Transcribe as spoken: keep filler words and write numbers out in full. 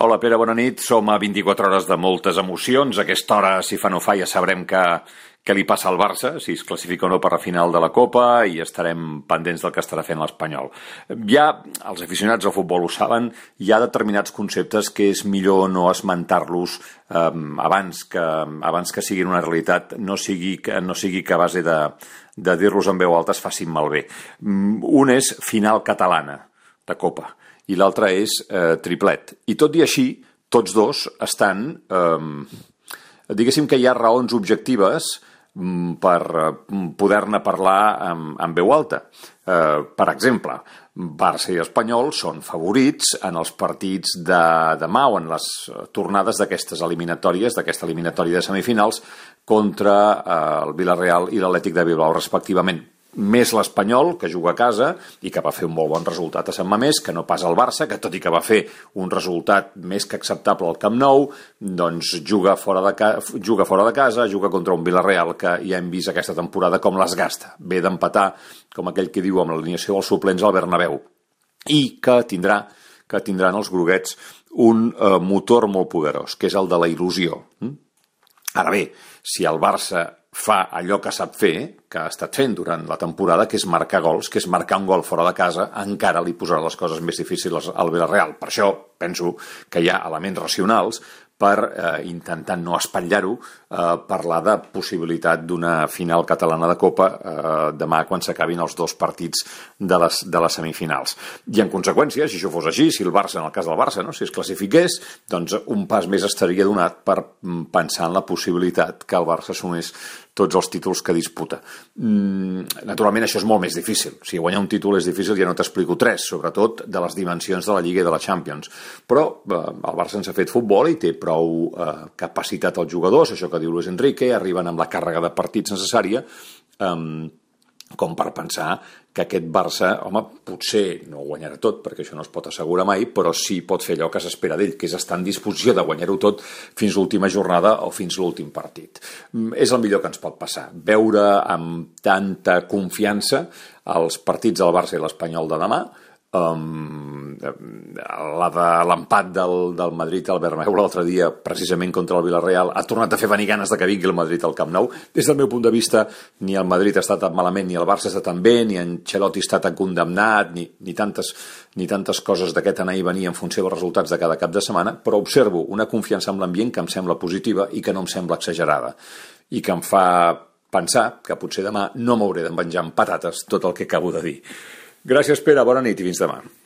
Hola Pere, bona nit. Som a vint-i-quatre hores de moltes emocions. A aquesta hora, si fa no fa, ja sabrem que, què li passa al Barça, si es classifica o no per la final de la Copa, i estarem pendents del que estarà fent l'Espanyol. Ja, els aficionats al futbol ho saben, hi ha determinats conceptes que és millor no esmentar-los eh, abans, que, abans que siguin una realitat, no sigui que, no sigui que a base de, de dir-los en veu alta es facin malbé. Un és final catalana de Copa i l'altre és eh, triplet. I tot i així, tots dos estan... Eh, diguéssim que hi ha raons objectives mm, per eh, poder-ne parlar amb, amb veu alta. Eh, per exemple, Barça i Espanyol són favorits en els partits de demà o en les tornades d'aquestes eliminatòries, d'aquesta eliminatòria de semifinals, contra eh, el Villarreal i l'Atlètic de Bilbao, respectivament. Més l'Espanyol, que juga a casa i que va fer un molt bon resultat a Sant Mamés, que no pas el Barça, que tot i que va fer un resultat més que acceptable al Camp Nou, doncs juga fora de, ca... juga fora de casa, juga contra un Villarreal que ja hem vist aquesta temporada com les gasta. Ve d'empatar, com aquell que diu, amb l'alineació dels suplents al Bernabéu. I que tindrà, que tindran els groguets un eh, motor molt poderós, que és el de la il·lusió. Ara bé, si el Barça fa allò que sap fer, que ha estat fent durant la temporada, que és marcar gols, que és marcar un gol fora de casa, encara li posarà les coses més difícils al Villarreal. Per això penso que hi ha elements racionals per, eh, intentant no espatllar-ho, eh, parlar de possibilitat d'una final catalana de Copa eh, demà quan s'acabin els dos partits de les, de les semifinals. I en conseqüència, si això fos així, si el Barça, en el cas del Barça, no, si es classifiqués, doncs un pas més estaria donat per pensar en la possibilitat que el Barça assumís tots els títols que disputa. Mm, naturalment això és molt més difícil. Si guanyar un títol és difícil, ja no t'explico tres, sobretot de les dimensions de la Lliga i de la Champions. Però eh, el Barça ens ha fet futbol i té prou eh, capacitat als jugadors, això que diu Luis Enrique, arriben amb la càrrega de partits necessària, eh, com per pensar que aquest Barça, home, potser no ho guanyarà tot, perquè això no es pot assegurar mai, però sí pot fer allò que s'espera d'ell, que és estar en disposició de guanyar-ho tot fins l'última jornada o fins l'últim partit. És el millor que ens pot passar, veure amb tanta confiança els partits del Barça i l'Espanyol de demà, Um, la de l'empat del, del Madrid al Bernabéu l'altre dia, precisament contra el Villarreal, ha tornat a fer venir ganes de que vingui el Madrid al Camp Nou. Des del meu punt de vista, ni el Madrid està tan malament, ni el Barça està tan bé, ni Ancelotti està tan condemnat, ni, ni, tantes, ni tantes coses d'aquest anar i venir en funció dels resultats de cada cap de setmana, però observo una confiança en l'ambient que em sembla positiva i que no em sembla exagerada, i que em fa pensar que potser demà no m'hauré de menjar amb patates tot el que acabo de dir. Gràcies, Pere, bona nit i fins demà.